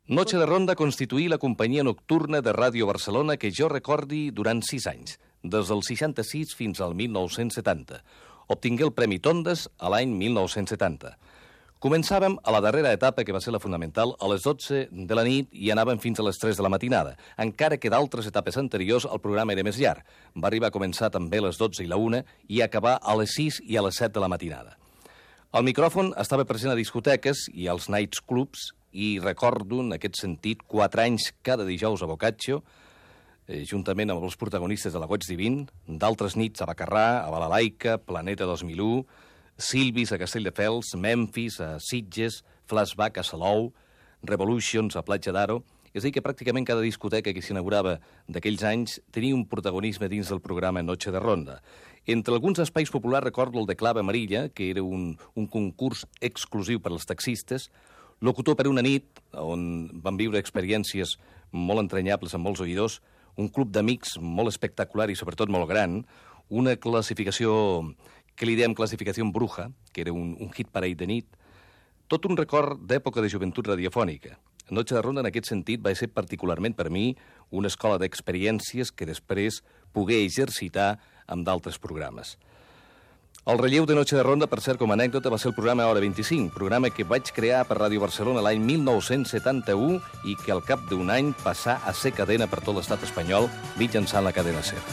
Noche de Ronda constituí la companyia nocturna de Ràdio Barcelona que jo recordi durant 6 anys, des del 66 fins al 1970. Obtingué el Premi Tondes a l'any 1970. Començàvem a la darrera etapa, que va ser la fonamental, a les 12 de la nit i anàvem fins a les 3 de la matinada, encara que d'altres etapes anteriors el programa era més llarg. Va arribar a començar també a les 12 i la 1 i acabar a les 6 i a les 7 de la matinada. El micròfon estava present a discoteques i als nights clubs i recordo, en aquest sentit, 4 anys cada dijous a Boccaccio, juntament amb els protagonistes de la Goig Divin, d'altres nits a Bacarrà, a Balalaica, Planeta 2001, Silvis a Castelldefels, Memphis a Sitges, Flashback a Salou, Revolutions a Platja d'Aro. És a dir, que pràcticament cada discoteca que s'inaugurava d'aquells anys tenia un protagonisme dins del programa Noche de Ronda. Entre alguns espais populars recordo el de Clave Amarilla, que era un concurs exclusiu per als taxistes, Locutor per una nit, on van viure experiències molt entranyables amb molts oïdors, un club d'amics molt espectacular i sobretot molt gran, una classificació que li dèiem classificació bruja, que era un hit parell de nit, tot un record d'època de joventut radiofònica. Noche de Ronda, en aquest sentit, va ser particularment per mi una escola d'experiències que després pogué exercitar amb d'altres programes. El relleu de Noche de Ronda, per cert, com a anècdota, va ser el programa Hora 25, programa que vaig crear per Ràdio Barcelona l'any 1971 i que al cap d'un any passà a ser cadena per tot l'estat espanyol mitjançant la cadena SER.